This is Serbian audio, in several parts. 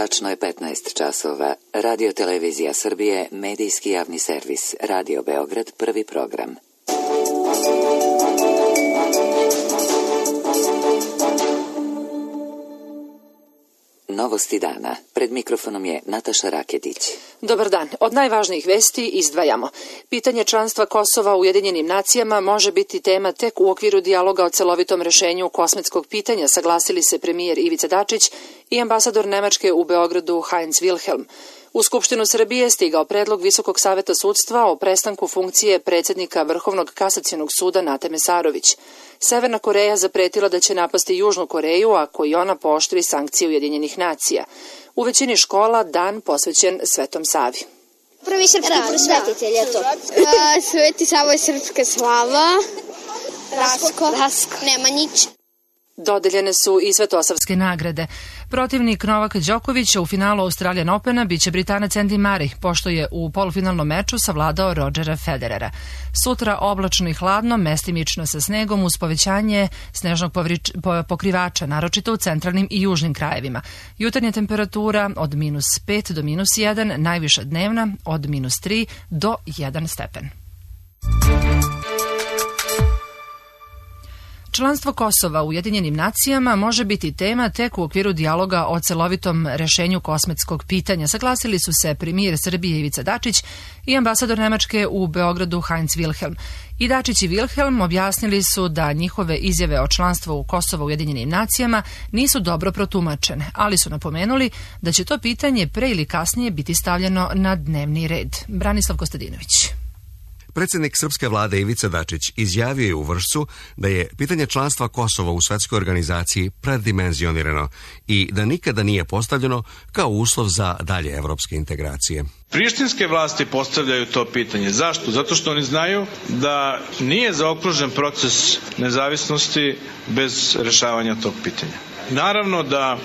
Tačno je 15 časova. Radio Televizija Srbije, medijski javni servis. Radio Beograd, prvi program. Novosti dana. Pred mikrofonom je Nataša Raketić. Dobar dan. Od najvažnijih vesti izdvajamo. Pitanje članstva Kosova u Ujedinjenim nacijama može biti tema tek u okviru dijaloga o celovitom rešenju kosmetskog pitanja, saglasili se premijer Ivica Dačić i ambasador Nemačke u Beogradu Heinz Wilhelm. U Skupštinu Srbije stigao predlog Visokog saveta sudstva o prestanku funkcije predsjednika Vrhovnog kasacionog suda Nate Mesarović. Severna Koreja zapretila da će napasti Južnu Koreju ako i ona pooštri sankcije Ujedinjenih nacija. U većini škola dan posvećen Svetom Savi. Prvi srpski prosvetitelj je to. Sveti Savo je srpska slava. Rasko. Nemanjić. Dodeljene su i svetosavske nagrade. Protivnik Novak Đokovića u finalu Australian Opena biće Britanac Andy Murray, pošto je u polufinalnom meču savladao Rodgera Federera. Sutra oblačno i hladno, mestimično sa snegom uz povećanje snežnog pokrivača, naročito u centralnim i južnim krajevima. Jutarnja temperatura od -5 do -1, najviša dnevna od -3 do 1 stepen. Članstvo Kosova u Ujedinjenim nacijama može biti tema tek u okviru dijaloga o celovitom rešenju kosmetskog pitanja, saglasili su se premijer Srbije Ivica Dačić i ambasador Nemačke u Beogradu Heinz Wilhelm. I Dačić i Wilhelm objasnili su da njihove izjave o članstvu Kosova u Ujedinjenim nacijama nisu dobro protumačene, ali su napomenuli da će to pitanje pre ili kasnije biti stavljeno na dnevni red. Branislav Kostadinović. Predsjednik srpske vlade Ivica Dačić izjavio je u Vršcu da je pitanje članstva Kosova u svetskoj organizaciji preddimenzionirano i da nikada nije postavljeno kao uslov za dalje evropske integracije. Prištinske vlasti postavljaju to pitanje. Zašto? Zato što oni znaju da nije zaokružen proces nezavisnosti bez rešavanja tog pitanja. Naravno da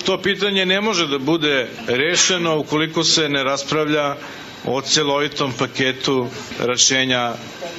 to pitanje ne može da bude rešeno ukoliko se ne raspravlja o celovitom paketu rešenja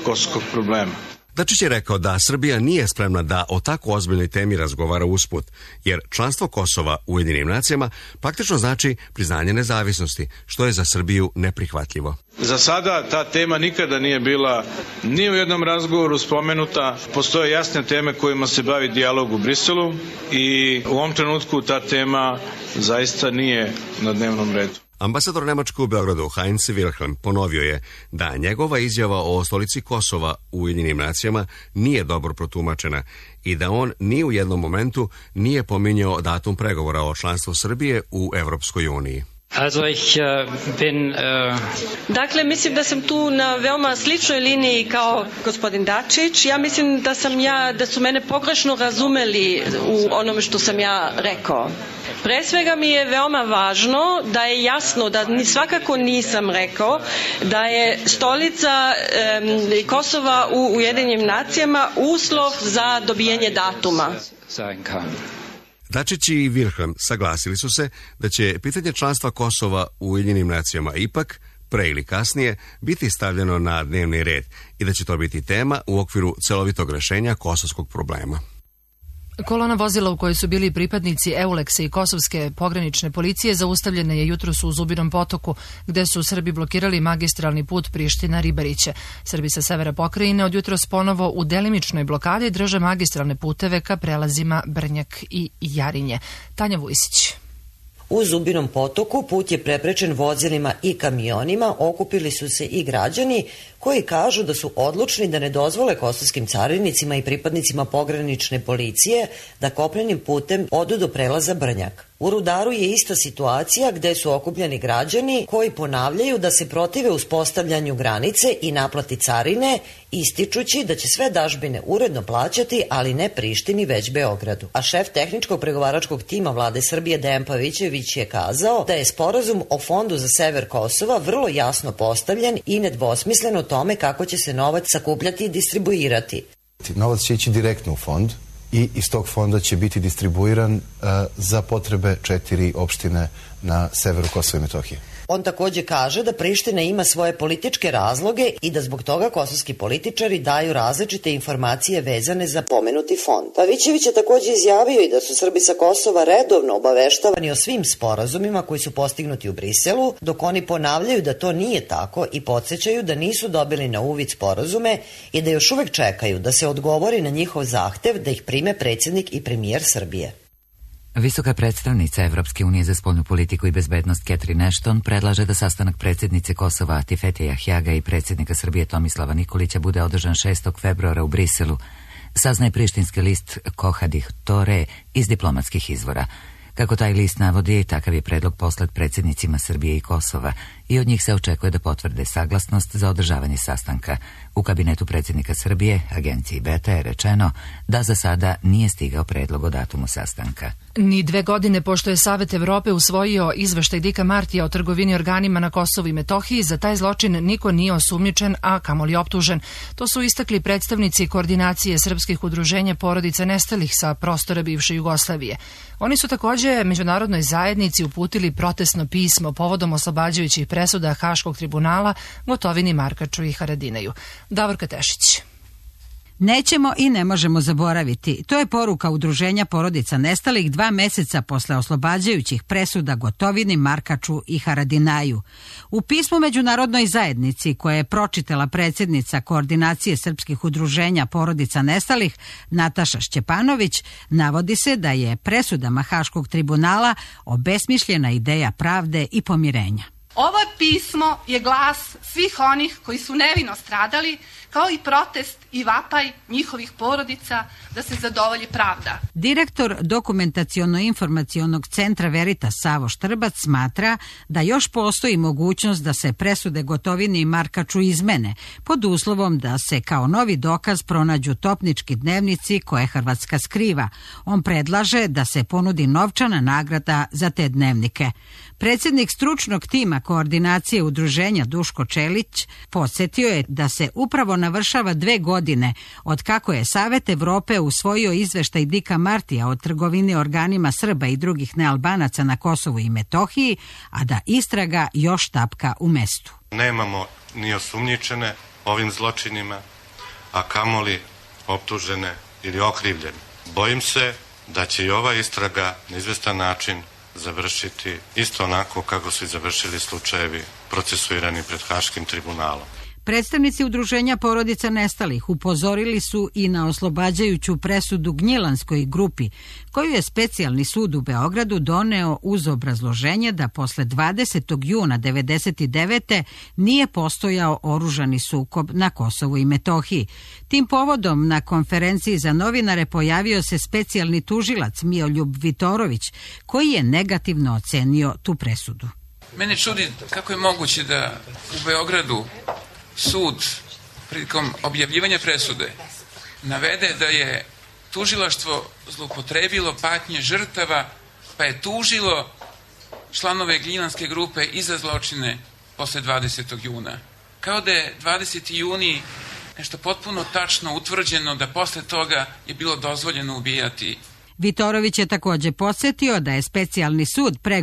kosovskog problema. Dačić je rekao da Srbija nije spremna da o tako ozbiljnoj temi razgovara usput, jer članstvo Kosova u Ujedinjenim nacijama praktično znači priznanje nezavisnosti, što je za Srbiju neprihvatljivo. Za sada ta tema nikada nije bila ni u jednom razgovoru spomenuta. Postoje jasne teme kojima se bavi dijalog u Briselu i u ovom trenutku ta tema zaista nije na dnevnom redu. Ambasador Nemačke u Beogradu Heinz Wilhelm ponovio je da njegova izjava o stolici Kosova u Ujedinjenim nacijama nije dobro protumačena i da on ni u jednom momentu nije pominjao datum pregovora o članstvu Srbije u Evropskoj uniji. Dakle, mislim da sam tu na veoma sličnoj liniji kao gospodin Dačić. Ja mislim da su mene pogrešno razumeli u onome što sam ja rekao. Pre svega mi je veoma važno da je jasno da svakako nisam rekao da je stolica Kosova u Ujedinjenim nacijama uslov za dobijanje datuma. Dačić i Wilhelm saglasili su se da će pitanje članstva Kosova u Ujedinjenim nacijama ipak, pre ili kasnije, biti stavljeno na dnevni red i da će to biti tema u okviru celovitog rešenja kosovskog problema. Kolona vozila u kojoj su bili pripadnici Euleksa i kosovske pogranične policije zaustavljene je jutros u Zubinom Potoku, gde su Srbi blokirali magistralni put Priština-Ribariće. Srbi sa severa pokrajine od jutros ponovo u delimičnoj blokadi drže magistralne puteve ka prelazima Brnjak i Jarinje. Tanja Vujsić. U Zubinom Potoku put je preprečen vozilima i kamionima, okupili su se i građani koji kažu da su odlučni da ne dozvole kosovskim carinicima i pripadnicima pogranične policije da kopnenim putem odu do prelaza Brnjak. U Rudaru je ista situacija gde su okupljeni građani koji ponavljaju da se protive uspostavljanju granice i naplati carine, ističući da će sve dažbine uredno plaćati, ali ne Prištini, već Beogradu. A šef tehničkog pregovaračkog tima vlade Srbije Dejan Pavićević je kazao da je sporazum o fondu za sever Kosova vrlo jasno postavljen i nedvosmislen o tome kako će se novac sakupljati i distribuirati. Novac će ići direktno u fond i iz tog fonda će biti distribuiran za potrebe 4 opštine na severu Kosova i Metohije. On takođe kaže da Priština ima svoje političke razloge i da zbog toga kosovski političari daju različite informacije vezane za pomenuti fond. Pavićević je takođe izjavio i da su Srbi sa Kosova redovno obaveštavani o svim sporazumima koji su postignuti u Briselu, dok oni ponavljaju da to nije tako i podsjećaju da nisu dobili na uvid sporazume i da još uvek čekaju da se odgovori na njihov zahtev da ih prime predsjednik i premijer Srbije. Visoka predstavnica Evropske unije za spoljnu politiku i bezbednost Catherine Ashton predlaže da sastanak predsjednice Kosova Atifete Jahjaga i predsjednika Srbije Tomislava Nikolića bude održan 6. februara u Briselu, saznaje prištinski list Kohadih Tore iz diplomatskih izvora. Kako taj list navodi, takav je predlog poslat predsjednicima Srbije i Kosova i od njih se očekuje da potvrde saglasnost za održavanje sastanka. U kabinetu predsjednika Srbije, agenciji Beta, je rečeno da za sada nije stigao predlog o datumu sastanka. Ni 2 godine pošto je Savet Evrope usvojio izveštaj Dika Martija o trgovini organima na Kosovu i Metohiji, za taj zločin niko nije osumnjičen, a kamoli optužen. To su istakli predstavnici koordinacije srpskih udruženja porodica nestalih sa prostora bivše Jugoslavije. Oni su također međunarodnoj zajednici uputili protestno pismo povodom oslobađajućih presuda Haškog tribunala Gotovini, Markaču i Haradinaju. Davorka Tešić. Nećemo i ne možemo zaboraviti. To je poruka udruženja porodica nestalih 2 meseca posle oslobađajućih presuda Gotovini, Markaču i Haradinaju. U pismu međunarodnoj zajednici koje je pročitala predsjednica koordinacije srpskih udruženja porodica nestalih Nataša Šćepanović, navodi se da je presudama Haškog tribunala obesmišljena ideja pravde i pomirenja. Ovo pismo je glas svih onih koji su nevino stradali, kao i protest i vapaj njihovih porodica da se zadovolji pravda. Direktor Dokumentaciono-informacionog centra Veritas Savo Štrbac smatra da još postoji mogućnost da se presude Gotovini i Markaču izmene, pod uslovom da se kao novi dokaz pronađu topnički dnevnici koje Hrvatska skriva. On predlaže da se ponudi novčana nagrada za te dnevnike. Predsjednik stručnog tima koordinacije udruženja Duško Čelić podsjetio je da se upravo navršava 2 godine od kako je Savet Evrope usvojio izveštaj Dika Martija o trgovini organima Srba i drugih nealbanaca na Kosovu i Metohiji, a da istraga još tapka u mestu. Nemamo ni osumnjičene ovim zločinima, a kamoli optužene ili okrivljene. Bojim se da će i ova istraga na izvestan način završiti isto onako kako su i završili slučajevi procesuirani pred Haškim tribunalom. Predstavnici udruženja porodica nestalih upozorili su i na oslobađajuću presudu Gnjilanskoj grupi, koju je specijalni sud u Beogradu doneo uz obrazloženje da posle 20. juna 1999. nije postojao oružani sukob na Kosovu i Metohiji. Tim povodom na konferenciji za novinare pojavio se specijalni tužilac Mioljub Vitorović, koji je negativno ocenio tu presudu. Mene čudi kako je moguće da u Beogradu sud prilikom objavljivanja presude navede da je tužilaštvo zloupotrebilo patnje žrtava, pa je tužilo članove Gnjilanske grupe i za zločine posle 20. juna. Kao da je 20. juni nešto potpuno tačno utvrđeno da posle toga je bilo dozvoljeno ubijati. Vitorović je također podsjetio da je specijalni sud pre 1,5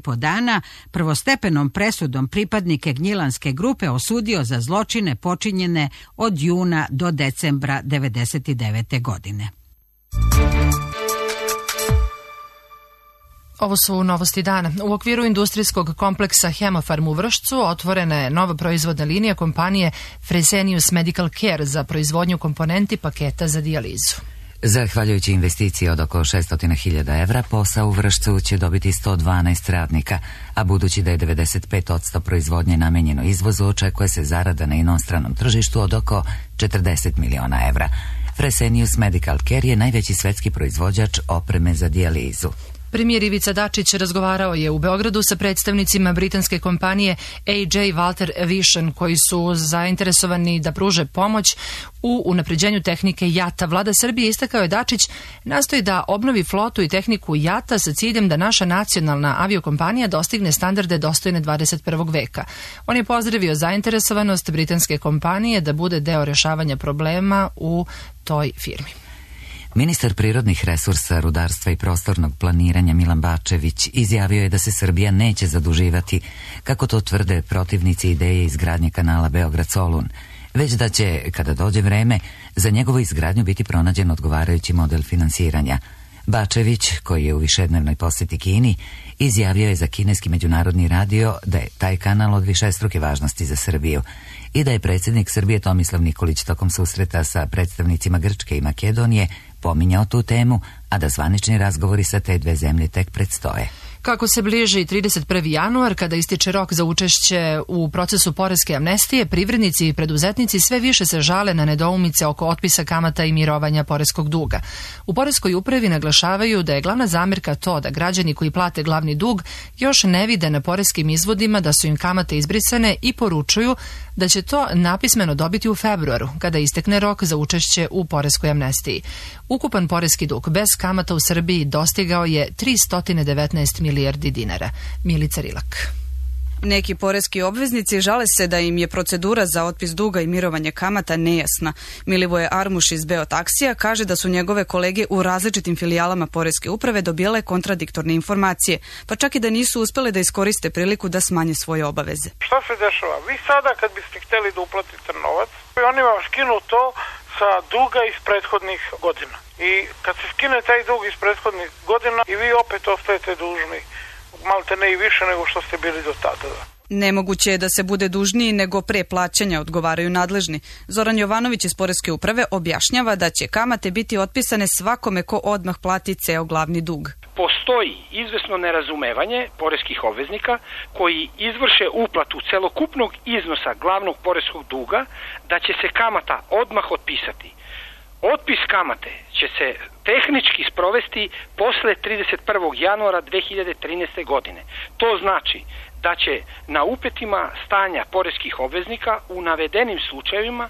godina prvostepenom presudom pripadnike Gnjilanske grupe osudio za zločine počinjene od juna do decembra 1999. godine. Ovo su novosti dana. U okviru industrijskog kompleksa Hemofarm u Vršcu otvorena je nova proizvodna linija kompanije Fresenius Medical Care za proizvodnju komponenti paketa za dijalizu. Zahvaljujući investiciji od oko 600.000 evra, posao u Vršcu će dobiti 112 radnika, a budući da je 95% proizvodnje namenjeno izvozu, očekuje se zarada na inostranom tržištu od oko 40 miliona evra. Fresenius Medical Care je najveći svetski proizvođač opreme za dijalizu. Premijer Ivica Dačić razgovarao je u Beogradu sa predstavnicima britanske kompanije AJ Walter Aviation, koji su zainteresovani da pruže pomoć u unapređenju tehnike jata. Vlada Srbije, istakao je Dačić, nastoji da obnovi flotu i tehniku jata sa ciljem da naša nacionalna aviokompanija dostigne standarde dostojne 21. veka. On je pozdravio zainteresovanost britanske kompanije da bude deo rešavanja problema u toj firmi. Ministar prirodnih resursa, rudarstva i prostornog planiranja Milan Bačević izjavio je da se Srbija neće zaduživati, kako to tvrde protivnici ideje izgradnje kanala Beograd-Solun, već da će, kada dođe vreme, za njegovu izgradnju biti pronađen odgovarajući model finansiranja. Bačević, koji je u višednevnoj posjeti Kini, izjavio je za kineski međunarodni radio da je taj kanal od višestruke važnosti za Srbiju i da je predsjednik Srbije Tomislav Nikolić tokom susreta sa predstavnicima Grčke i Makedonije pominjao tu temu, a da zvanični razgovori sa te dve zemlje tek predstoje. Kako se bliži 31. januar, kada ističe rok za učešće u procesu poreske amnestije, privrednici i preduzetnici sve više se žale na nedoumice oko otpisa kamata i mirovanja poreskog duga. U poreskoj upravi naglašavaju da je glavna zamerka to da građani koji plate glavni dug još ne vide na poreskim izvodima da su im kamate izbrisane i poručuju da će to napismeno dobiti u februaru, kada istekne rok za učešće u poreskoj amnestiji. Ukupan poreski dug bez kamata u Srbiji dostigao je 319 milijardi dinara. Milica Rilak. Neki poreski obveznici žale se da im je procedura za otpis duga i mirovanje kamata nejasna. Milivoje Armuš iz Beotaksija kaže da su njegove kolege u različitim filijalama poreske uprave dobijale kontradiktorne informacije, pa čak i da nisu uspele da iskoriste priliku da smanje svoje obaveze. Šta se dešava? Vi sada kad biste htjeli da uplatite novac, oni vam skinu to sa duga iz prethodnih godina. I kad se skine taj dug iz prethodnih godina i vi opet ostajete dužni, malte ne i više nego što ste bili do tada. Nemoguće je da se bude dužniji nego pre plaćanja, odgovaraju nadležni. Zoran Jovanović iz poreske uprave objašnjava da će kamate biti otpisane svakome ko odmah plati ceo glavni dug. Postoji izvesno nerazumevanje poreskih obveznika koji izvrše uplatu celokupnog iznosa glavnog poreskog duga da će se kamata odmah otpisati. Otpis kamate će se tehnički sprovesti posle 31. januara 2013. godine. To znači da će na upetima stanja poreskih obveznika u navedenim slučajevima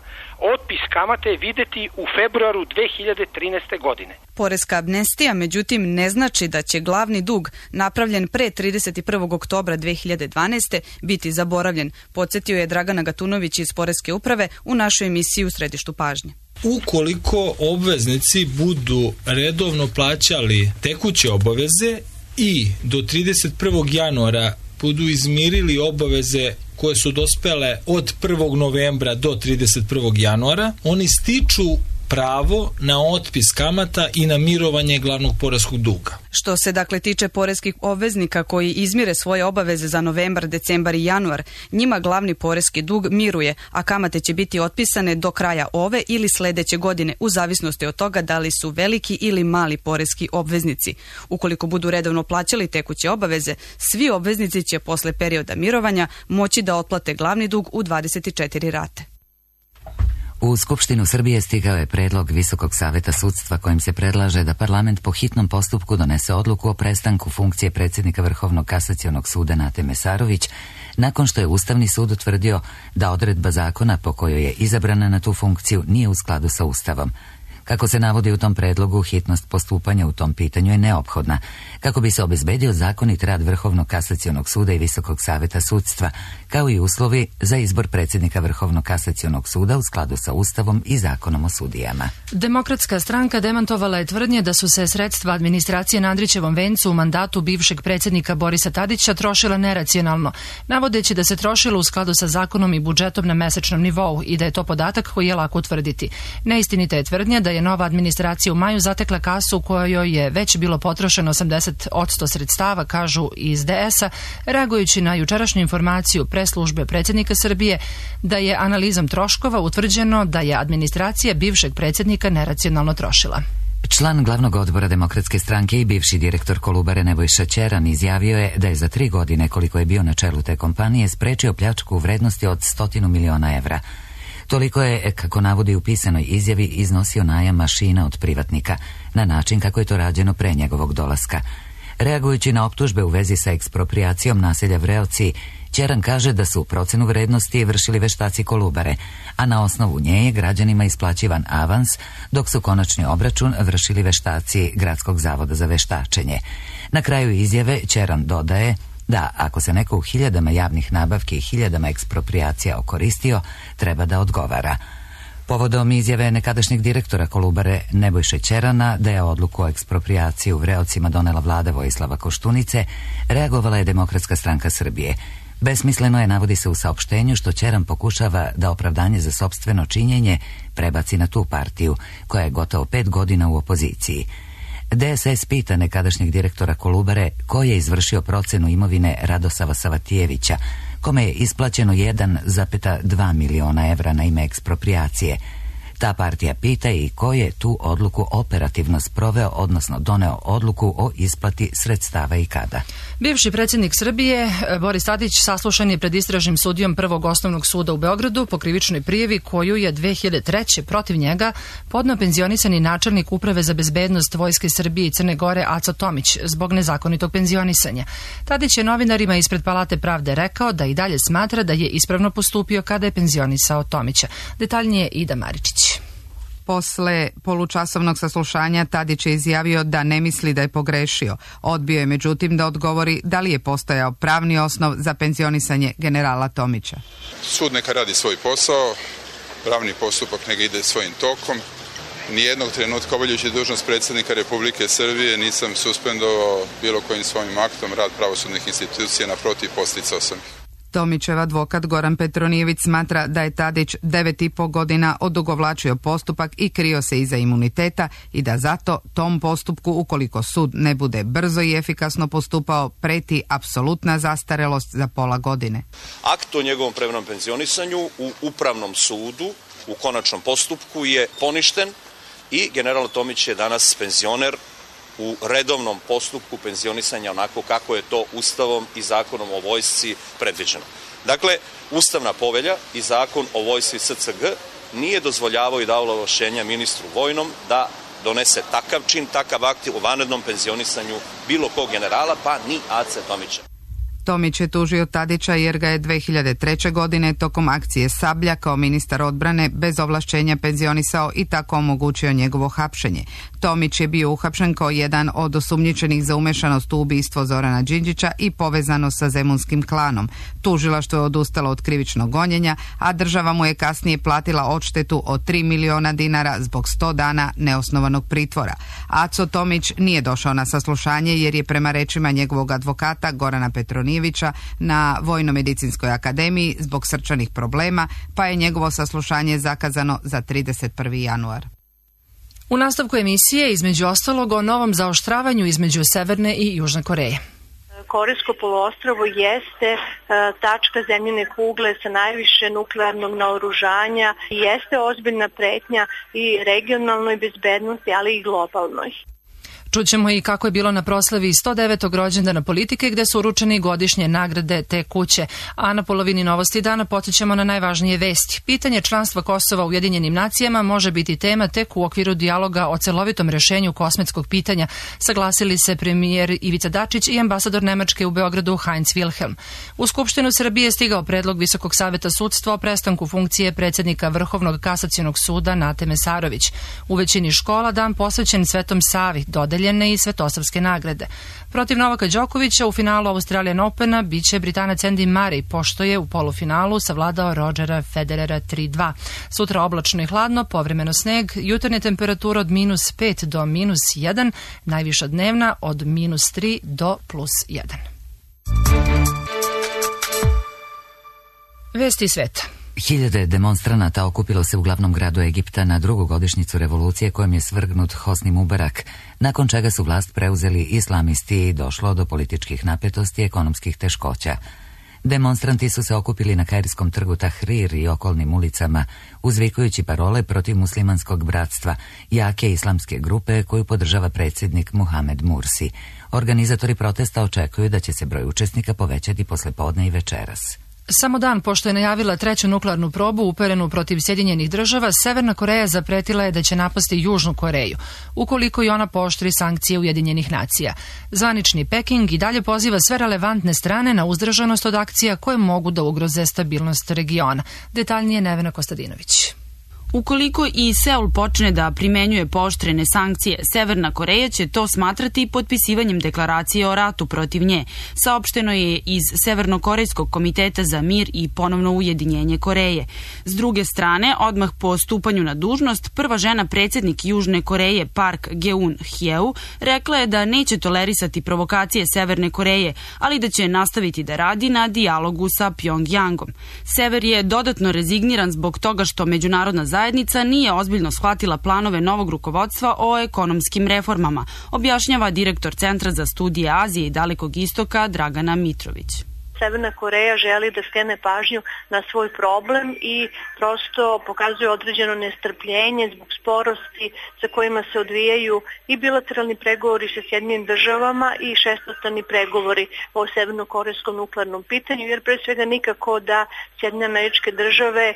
otpis kamate videti u februaru 2013. godine. Poreska amnestija, međutim, ne znači da će glavni dug napravljen pre 31. oktobra 2012. biti zaboravljen, podsjetio je Dragana Gatunović iz poreske uprave u našoj emisiji U središtu pažnje. Ukoliko obveznici budu redovno plaćali tekuće obaveze i do 31. januara budu izmirili obaveze koje su dospele od 1. novembra do 31. januara, oni stiču pravo na otpis kamata i na mirovanje glavnog poreskog duga. Što se dakle tiče poreskih obveznika koji izmire svoje obaveze za novembar, decembar i januar, njima glavni poreski dug miruje, a kamate će biti otpisane do kraja ove ili sledeće godine, u zavisnosti od toga da li su veliki ili mali poreski obveznici. Ukoliko budu redovno plaćali tekuće obaveze, svi obveznici će posle perioda mirovanja moći da otplate glavni dug u 24 rate. U Skupštinu Srbije stigao je predlog Visokog saveta sudstva kojim se predlaže da parlament po hitnom postupku donese odluku o prestanku funkcije predsjednika Vrhovnog kasacionog suda Nate Mesarović, nakon što je Ustavni sud utvrdio da odredba zakona po kojoj je izabrana na tu funkciju nije u skladu sa Ustavom. Kako se navodi u tom predlogu, hitnost postupanja u tom pitanju je neophodna, kako bi se obezbedio zakonit rad Vrhovnog kasacionog suda i Visokog saveta sudstva, kao i uslovi za izbor predsjednika Vrhovnog kasacionog suda u skladu sa Ustavom i Zakonom o sudijama. Demokratska stranka demantovala je tvrdnje da su se sredstva administracije na Andrićevom vencu u mandatu bivšeg predsjednika Borisa Tadića trošila neracionalno, navodeći da se trošilo u skladu sa zakonom i budžetom na mesečnom nivou i da je to podatak koji je lako utvrditi. Neistinita je tvrdnja da je nova administracija u maju zatekla kasu u kojoj je već bilo potrošeno 80% sredstava, kažu iz DS-a, reagujući na jučerašnju informaciju preslužbe predsjednika Srbije da je analizom troškova utvrđeno da je administracija bivšeg predsjednika neracionalno trošila. Član glavnog odbora Demokratske stranke i bivši direktor Kolubare Nebojša Ćeran izjavio je da je za 3 godine koliko je bio na čelu te kompanije sprečio pljačku u vrednosti od 100 miliona evra. Toliko je, kako navodi u pisanoj izjavi, iznosio najam mašina od privatnika, na način kako je to rađeno pre njegovog dolaska. Reagujući na optužbe u vezi sa eksproprijacijom naselja Vreoci, Ćeran kaže da su procenu vrednosti vršili veštaci Kolubare, a na osnovu nje je građanima isplaćivan avans, dok su konačni obračun vršili veštaci Gradskog zavoda za veštačenje. Na kraju izjave Ćeran dodaje da ako se neko u 1000 javnih nabavki i 1000 eksproprijacija okoristio, treba da odgovara. Povodom izjave nekadašnjeg direktora Kolubare Nebojše Ćerana da je odluku o eksproprijaciji u Vreocima donela vlada Vojislava Koštunice, reagovala je Demokratska stranka Srbije. Besmisleno je, navodi se u saopštenju, što Ćeran pokušava da opravdanje za sopstveno činjenje prebaci na tu partiju, koja je gotovo 5 godina u opoziciji. DSS pita nekadašnjeg direktora Kolubare ko je izvršio procenu imovine Radosava Savatijevića, kome je isplaćeno 1,2 miliona evra na ime eksproprijacije. Ta partija pita i ko je tu odluku operativno sproveo, odnosno doneo odluku o isplati sredstava i kada. Bivši predsjednik Srbije Boris Tadić saslušan je pred istražnim sudijom Prvog osnovnog suda u Beogradu po krivičnoj prijavi koju je 2003. protiv njega podneo penzionisani načelnik Uprave za bezbednost Vojske Srbije i Crne Gore Aco Tomić zbog nezakonitog penzionisanja. Tadić je novinarima ispred Palate pravde rekao da i dalje smatra da je ispravno postupio kada je penzionisao Tomića. Detaljnije Ida Maričić. Posle polučasovnog saslušanja Tadić je izjavio da ne misli da je pogrešio. Odbio je međutim da odgovori da li je postojao pravni osnov za penzionisanje generala Tomića. Sud neka radi svoj posao, pravni postupak neka ide svojim tokom. Nijednog trenutka obavljajući dužnost predsjednika Republike Srbije nisam suspendovao bilo kojim svojim aktom rad pravosudnih institucija, naprotiv posticao sam ih. Tomićev advokat Goran Petronijević smatra da je Tadić 9,5 godina odugovlačio postupak i krio se iza imuniteta i da zato tom postupku, ukoliko sud ne bude brzo i efikasno postupao, preti apsolutna zastarelost za pola godine. Akt o njegovom prevremenom penzionisanju u Upravnom sudu u konačnom postupku je poništen i general Tomić je danas penzioner u redovnom postupku penzionisanja onako kako je to Ustavom i Zakonom o vojsci predviđeno. Dakle, Ustavna povelja i Zakon o vojsci SCG nije dozvoljavao i dao ovlašćenja ministru vojnom da donese takav čin, takav akt o vanrednom penzionisanju bilo kog generala, pa ni Ace Tomića. Tomić je tužio Tadića jer ga je 2003. godine tokom akcije Sablja kao ministar odbrane bez ovlašćenja penzionisao i tako omogućio njegovo hapšenje. Tomić je bio uhapšen kao jedan od osumnjičenih za umešanost u ubistvo Zorana Đinđića i povezano sa zemunskim klanom. Tužilaštvo je odustalo od krivičnog gonjenja, a država mu je kasnije platila odštetu od 3 miliona dinara zbog 100 dana neosnovanog pritvora. Aco Tomić nije došao na saslušanje jer je prema rečima njegovog advokata Gorana Petronijevića na Vojno-medicinskoj akademiji zbog srčanih problema, pa je njegovo saslušanje zakazano za 31. januar. U nastavku emisije, između ostalog, o novom zaoštravanju između Severne i Južne Koreje. Korejsko poluostrvo jeste tačka zemljine kugle sa najviše nuklearnog naoružanja i jeste ozbiljna pretnja i regionalnoj bezbednosti, ali i globalnoj. Čućemo i kako je bilo na proslavi 109. rođendana politike gde su uručene godišnje nagrade te kuće. A na polovini Novosti dana podsjećamo na najvažnije vesti. Pitanje članstva Kosova u Ujedinjenim nacijama može biti tema tek u okviru dijaloga o celovitom rešenju kosmetskog pitanja, saglasili se premijer Ivica Dačić i ambasador Nemačke u Beogradu Heinz Wilhelm. U Skupštinu Srbije je stigao predlog Visokog saveta sudstva o prestanku funkcije predsjednika Vrhovnog kasacionog suda Nate Mesarović. U većini škola dan posvećen Svetom Savi, dodeljene i svetosavske nagrade. Protiv Novaka Đokovića u finalu Australian Opena biće Britanac Andy Murray, pošto je u polufinalu savladao Rodgera Federera 3-2. Sutra oblačno i hladno, povremeno sneg, jutarnje temperatura od -5 do -1, najviša dnevna od -3 do +1. Vesti sveta. Hiljade demonstranata okupilo se u glavnom gradu Egipta na drugu godišnjicu revolucije kojom je svrgnut Hosni Mubarak, nakon čega su vlast preuzeli islamisti i došlo do političkih napetosti i ekonomskih teškoća. Demonstranti su se okupili na kairskom trgu Tahrir i okolnim ulicama, uzvikujući parole protiv muslimanskog bratstva, jake islamske grupe koju podržava predsjednik Muhamed Mursi. Organizatori protesta očekuju da će se broj učesnika povećati poslepodne i večeras. Samo dan pošto je najavila treću nuklearnu probu uperenu protiv Sjedinjenih država, Severna Koreja zapretila je da će napasti Južnu Koreju, ukoliko i ona pooštri sankcije Ujedinjenih nacija. Zvanični Peking i dalje poziva sve relevantne strane na uzdržanost od akcija koje mogu da ugroze stabilnost regiona. Detaljnije Nevena Kostadinović. Ukoliko i Seul počne da primenjuje pooštrene sankcije, Severna Koreja će to smatrati potpisivanjem deklaracije o ratu protiv nje, saopšteno je iz Severnokorejskog komiteta za mir i ponovno ujedinjenje Koreje. S druge strane, odmah po stupanju na dužnost, prva žena predsjednik Južne Koreje Park Geun-hye rekla je da neće tolerisati provokacije Severne Koreje, ali da će nastaviti da radi na dijalogu sa Pjongjangom. Sever je dodatno rezigniran zbog toga što međunarodna zajednica nije ozbiljno shvatila planove novog rukovodstva o ekonomskim reformama, objašnjava direktor Centra za studije Azije i Dalekog istoka Dragana Mitrović. Severna Koreja želi da skrene pažnju na svoj problem i prosto pokazuje određeno nestrpljenje zbog sporosti sa kojima se odvijaju i bilateralni pregovori sa Sjedinjenim državama i šestostrani pregovori o severnokorejskom nuklearnom pitanju, jer pre svega nikako da Sjedinjene Američke Države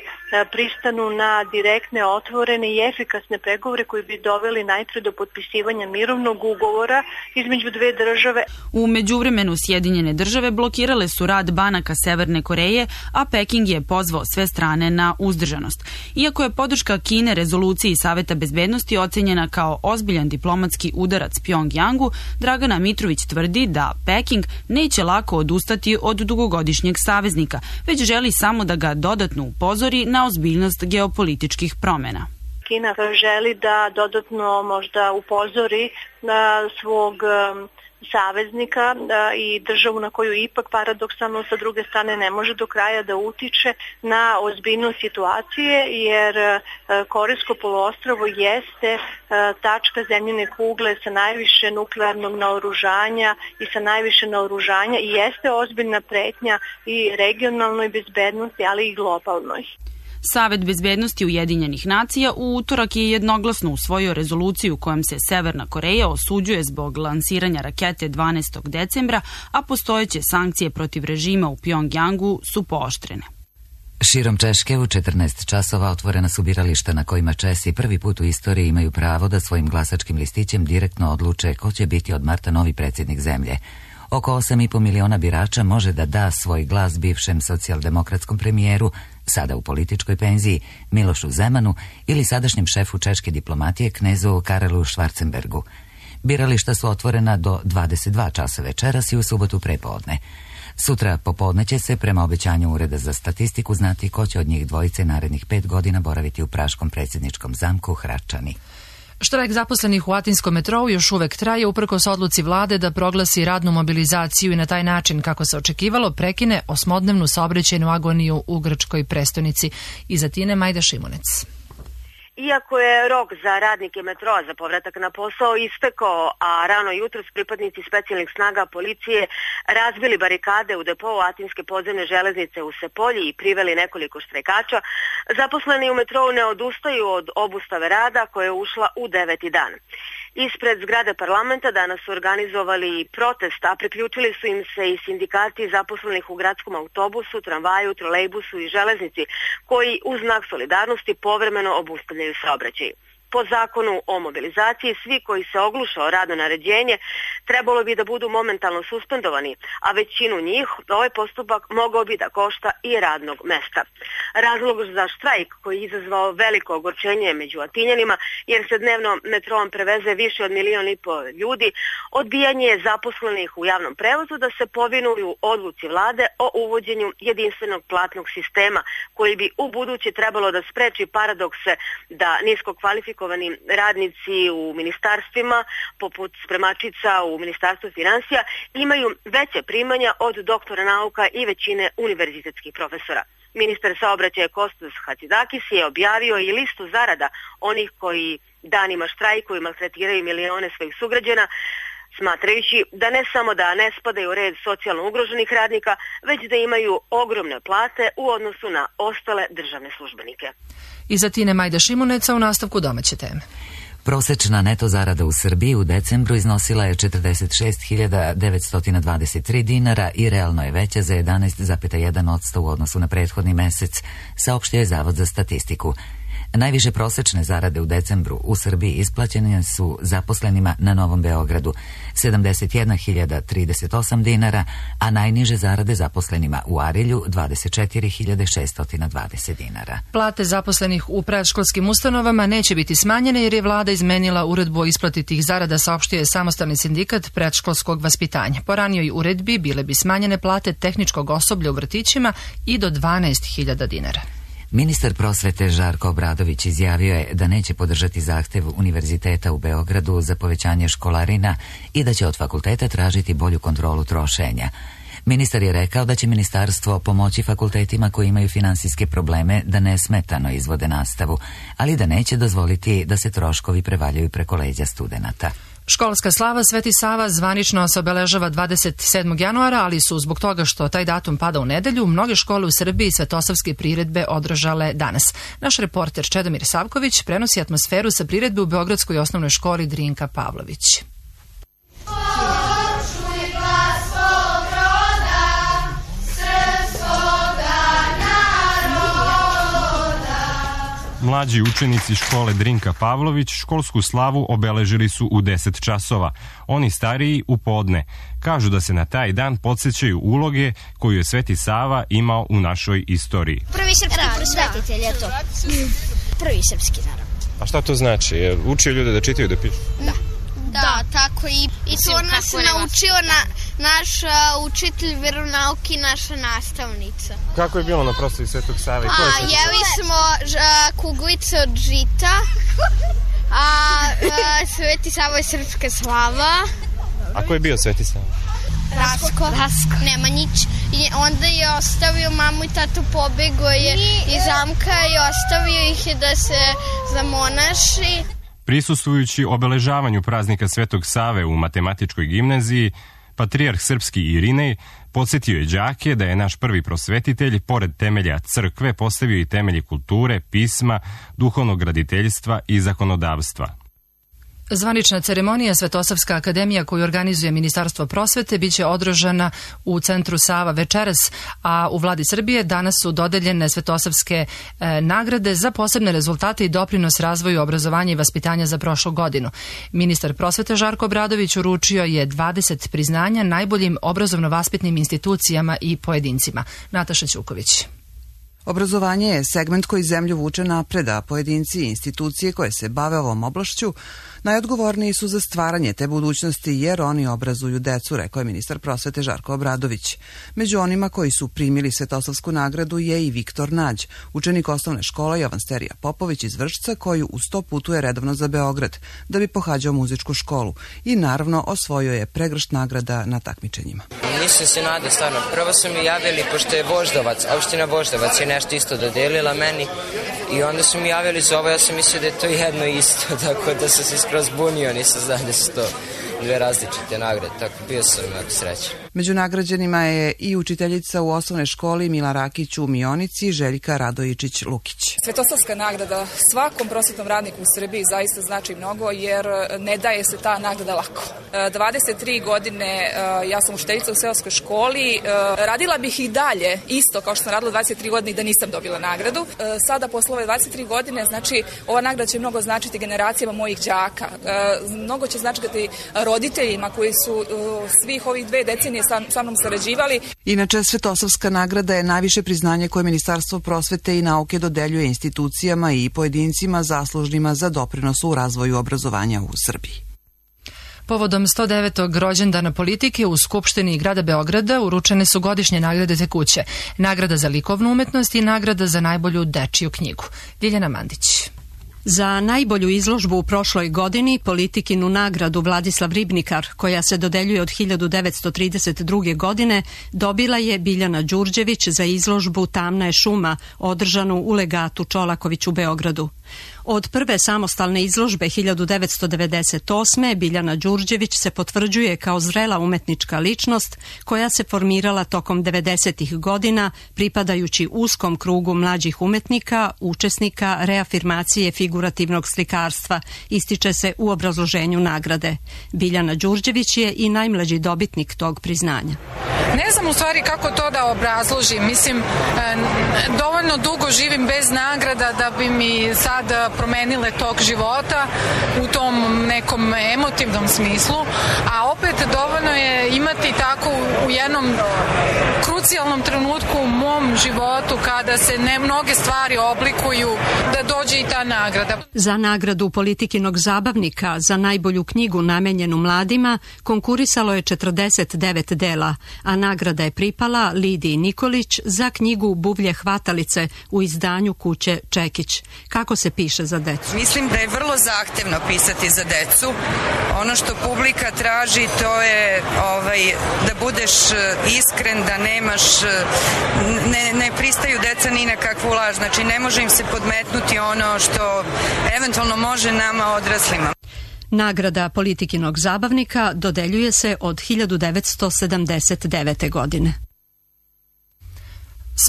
pristanu na direktne, otvorene i efikasne pregovore koji bi doveli najpre do potpisivanja mirovnog ugovora između dve države. U međuvremenu Sjedinjene države blokirale su rad banaka Severne Koreje, a Peking je pozvao sve strane na uzdržanost. Iako je podrška Kine rezoluciji Saveta bezbednosti ocenjena kao ozbiljan diplomatski udarac Pjongjangu, Dragana Mitrović tvrdi da Peking neće lako odustati od dugogodišnjeg saveznika, već želi samo da ga dodatno upozori na ozbiljnost geopolitičkih promjena. Kina želi da dodatno možda upozori na svog saveznika i državu na koju ipak paradoksalno sa druge strane ne može do kraja da utiče na ozbiljnost situacije, jer Korejsko poluostrvo jeste tačka zemljine kugle sa najviše nuklearnog naoružanja i sa najviše naoružanja i jeste ozbiljna pretnja i regionalnoj bezbednosti, ali i globalnoj. Savet bezbednosti Ujedinjenih nacija u utorak je jednoglasno usvojio rezoluciju kojom se Severna Koreja osuđuje zbog lansiranja rakete 12. decembra, a postojeće sankcije protiv režima u Pjongjangu su pooštrene. Širom Češke u 14 časova otvorena su birališta na kojima Česi prvi put u istoriji imaju pravo da svojim glasačkim listićem direktno odluče ko će biti od marta novi predsjednik zemlje. Oko 8,5 miliona birača može da da svoj glas bivšem socijaldemokratskom premijeru, sada u političkoj penziji, Milošu Zemanu ili sadašnjem šefu češke diplomatije knezu Karelu Schwarzenbergu. Birališta su otvorena do 22 časa večeras i u subotu prepodne. Sutra popodne će se, prema obećanju Ureda za statistiku, znati ko će od njih dvojice narednih 5 godina boraviti u praškom predsjedničkom zamku Hračani. Štrajk zaposlenih u atinskom metrou još uvek traje uprkos odluci vlade da proglasi radnu mobilizaciju i na taj način, kako se očekivalo, prekine osmodnevnu saobraćajnu agoniju u grčkoj prestonici. Iz Atine Majda Šimunec. Iako je rok za radnike metroa za povratak na posao istekao, a rano jutros pripadnici specijalnih snaga policije razbili barikade u depou Atinske podzemne železnice u Sepolji i priveli nekoliko štrajkača, zaposleni u metrou ne odustaju od obustave rada koja je ušla u 9. dan. Ispred zgrade parlamenta danas su organizovali protest, a priključili su im se i sindikati zaposlenih u gradskom autobusu, tramvaju, trolejbusu i železnici, koji uz znak solidarnosti povremeno obustavljaju saobraćaj. Po zakonu o mobilizaciji, svi koji se ogluše o radno naređenje trebalo bi da budu momentalno suspendovani, a većinu njih ovaj postupak mogao bi da košta i radnog mesta. Razlog za štrajk, koji je izazvao veliko ogorčenje među Atinjanima, jer se dnevno metroom preveze više od 1,5 miliona ljudi, odbijanje je zaposlenih u javnom prevozu da se povinuju odluci vlade o uvođenju jedinstvenog platnog sistema, koji bi u budući trebalo da spreči paradokse da nisko kvalifikovani radnici u ministarstvima, poput spremačica u Ministarstvu finansija, imaju veće primanja od doktora nauka i većine univerzitetskih profesora. Ministar saobraćaja Kostas Hatzidakis je objavio i listu zarada onih koji danima štrajkuju i maltretiraju milione svojih sugrađana, smatrajući da ne samo da ne spadaju u red socijalno ugroženih radnika, već da imaju ogromne plate u odnosu na ostale državne službenike. Iz Atine Majda Šimuneca u nastavku domaće teme. Prosečna neto zarada u Srbiji u decembru iznosila je 46.923 dinara i realno je veća za 11,1% u odnosu na prethodni mesec, saopštio je Zavod za statistiku. Najviše prosečne zarade u decembru u Srbiji isplaćene su zaposlenima na Novom Beogradu 71.038 dinara, a najniže zarade zaposlenima u Arilju 24.620 dinara. Plate zaposlenih u predškolskim ustanovama neće biti smanjene jer je vlada izmenila uredbu o isplati tih zarada, saopštio je samostalni sindikat predškolskog vaspitanja. Po ranijoj uredbi bile bi smanjene plate tehničkog osoblja u vrtićima i do 12.000 dinara. Ministar prosvete Žarko Obradović izjavio je da neće podržati zahtev Univerziteta u Beogradu za povećanje školarina i da će od fakulteta tražiti bolju kontrolu trošenja. Ministar je rekao da će ministarstvo pomoći fakultetima koji imaju finansijske probleme da nesmetano izvode nastavu, ali da neće dozvoliti da se troškovi prevaljaju preko leđa studenata. Školska slava Sveti Sava zvanično se obeležava 27. januara, ali su zbog toga što taj datum pada u nedelju, mnoge škole u Srbiji svetosavske priredbe održale danas. Naš reporter Čedomir Savković prenosi atmosferu sa priredbe u Beogradskoj osnovnoj školi Drinka Pavlović. Mlađi učenici škole Drinka Pavlović školsku slavu obeležili su u 10 časova, oni stariji u podne. Kažu da se na taj dan podsjećaju uloge koju je Sveti Sava imao u našoj istoriji. Prvi srpski prosvetitelj je to. Prvi srpski, naravno. A šta to znači? Je učio ljude da čitaju, da pišu? Da, tako i to nas naučio naš učitelj veronauke i naša nastavnica. Kako je bilo na proslavi Svetog Save? Jeli smo kuglice od žita, a Sveti Sava je srpska slava. A ko je bio Sveti Sava? Rasko. Nemanjić. I onda je ostavio mamu i tatu, pobego je iz zamka i ostavio ih je da se zamonaši. Prisustvujući obeležavanju praznika Svetog Save u matematičkoj gimnaziji, patrijarh srpski Irinej podsjetio je đake da je naš prvi prosvetitelj, pored temelja crkve, postavio i temelje kulture, pisma, duhovnog graditeljstva i zakonodavstva. Zvanična ceremonija Svetosavska akademija koju organizuje Ministarstvo prosvete biće održana u centru Sava večeras, a u vladi Srbije danas su dodeljene Svetosavske nagrade za posebne rezultate i doprinos razvoju obrazovanja i vaspitanja za prošlu godinu. Ministar prosvete Žarko Obradović uručio je 20 priznanja najboljim obrazovno-vaspitnim institucijama i pojedincima. Nataša Ćuković. Obrazovanje je segment koji zemlju vuče napred, a pojedinci i institucije koje se bave ovom oblašću najodgovorniji su za stvaranje te budućnosti jer oni obrazuju decu, rekao je ministar prosvete Žarko Obradović. Među onima koji su primili Svetosavsku nagradu je i Viktor Nađ, učenik osnovne škole Jovan Sterija Popović iz Vršca, koji uz to putuje redovno za Beograd da bi pohađao muzičku školu i naravno osvojio je pregršt nagrada na takmičenjima. Nisam se nadao, stvarno. Prvo su mi javili, pošto je Voždovac, opština Voždovac je nešto isto dodelila meni i onda su mi javili za ovo, ja sam mislio da je to jedno isto, tako da sam se skroz bunio, nisam znao da su to dve različite nagrade, tako bio sam jako srećan. Među nagrađenima je i učiteljica u osnovnoj školi Mila Rakić u Mionici, Željka Radojičić-Lukić. Svetosavska nagrada svakom prosvetnom radniku u Srbiji zaista znači mnogo jer ne daje se ta nagrada lako. 23 godine ja sam učiteljica u seoskoj školi, radila bih i dalje isto kao što sam radila 23 godine i da nisam dobila nagradu. Sada posle ove 23 godine, znači ova nagrada će mnogo značiti generacijama mojih đaka, mnogo će značiti roditeljima koji su svih ovih 2 decenije sa mnom sarađivali. Inače, Svetosavska nagrada je najviše priznanje koje Ministarstvo prosvete i nauke dodeljuje institucijama i pojedincima zaslužnima za doprinos u razvoju obrazovanja u Srbiji. Povodom 109. rođendana politike u Skupštini grada Beograda uručene su godišnje nagrade tekuće, nagrada za likovnu umetnost i nagrada za najbolju dečiju knjigu. Ljiljana Mandić. Za najbolju izložbu u prošloj godini politikinu nagradu Vladislav Ribnikar, koja se dodeljuje od 1932. godine, dobila je Biljana Đurđević za izložbu Tamna je šuma, održanu u legatu Čolaković u Beogradu. Od prve samostalne izložbe 1998. Biljana Đurđević se potvrđuje kao zrela umetnička ličnost koja se formirala tokom 90. godina pripadajući uskom krugu mlađih umetnika, učesnika reafirmacije figurativnog slikarstva, ističe se u obrazloženju nagrade. Biljana Đurđević je i najmlađi dobitnik tog priznanja. Ne znam u stvari kako to da obrazložim. Mislim, dovoljno dugo živim bez nagrada da bi mi sad promenile tok života u tom nekom emotivnom smislu, a opet dovoljno je imati tako u jednom krucijalnom trenutku u mom životu kada se mnoge stvari oblikuju da dođe i ta nagrada. Za nagradu Politikinog zabavnika za najbolju knjigu namenjenu mladima konkurisalo je 49 dela, a nagrada je pripala Lidiji Nikolić za knjigu Buvlje hvatalice u izdanju kuće Čekić. Kako se piše za decu? Mislim da je vrlo zahtevno pisati za decu. Ono što publika traži to je da budeš iskren, da nemaš, ne pristaju deca ni na kakvu laž, znači ne može im se podmetnuti ono što eventualno može nama odraslima. Nagrada Politikinog zabavnika dodeljuje se od 1979. godine.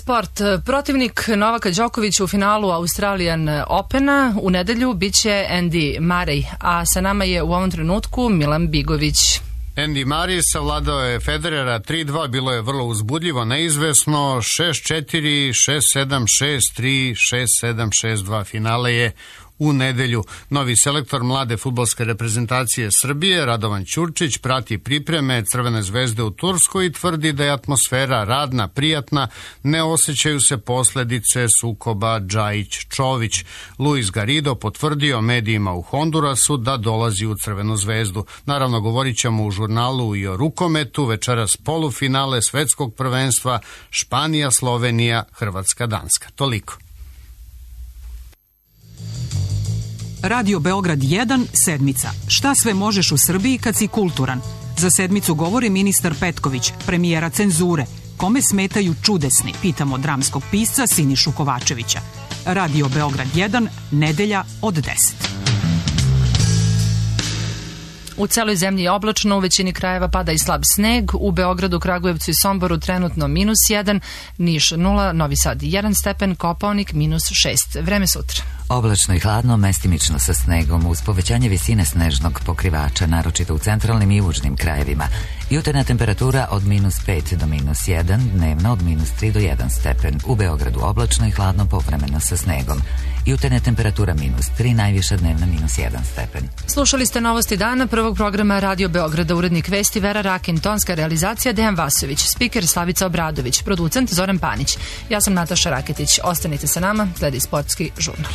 Sport. Protivnik Novaka Đokovića u finalu Australian Opena u nedelju biće Andy Murray, a sa nama je u ovom trenutku Milan Bigović. Andy Murray savladao je Federera 3-2, bilo je vrlo uzbudljivo, neizvesno, 6-4, 6-7, 6-3, 6-7, 6-2. Finale je u nedelju. Novi selektor mlade fudbalske reprezentacije Srbije, Radovan Ćurčić, prati pripreme Crvene zvezde u Turskoj i tvrdi da je atmosfera radna, prijatna, ne osjećaju se posledice sukoba Džajić-Čović. Luis Garrido potvrdio medijima u Hondurasu da dolazi u Crvenu zvezdu. Naravno, govorit ćemo u žurnalu i o rukometu, večeras polufinale svetskog prvenstva Španija, Slovenija, Hrvatska, Danska. Toliko. Radio Beograd 1, sedmica. Šta sve možeš u Srbiji kad si kulturan? Za sedmicu govori ministar Petković, premijera cenzure. Kome smetaju čudesni, pitamo dramskog pisca Sinišu Kovačevića. Radio Beograd 1, nedelja od 10. U celoj zemlji je oblačno, u većini krajeva pada i slab sneg, u Beogradu, Kragujevcu i Somboru trenutno -1, Niš 0, Novi Sad 1 stepen, Kopaonik -6. Vreme sutra. Oblačno i hladno, mestimično sa snegom, uz povećanje visine snežnog pokrivača, naročito u centralnim i južnim krajevima. Jutarnja temperatura od -5 do -1, dnevna od -3 do 1 stepen. U Beogradu oblačno i hladno, povremeno sa snegom. Jutarnja temperatura -3, najviša dnevna -1 stepen. Slušali ste novosti dana prvog programa Radio Beograda, urednik vesti Vera Rakin, tonska realizacija Dejan Vasović, spiker Slavica Obradović, producent Zoran Panić. Ja sam Nataša Raketić. Ostanite sa nama, sledi sportski žurnal.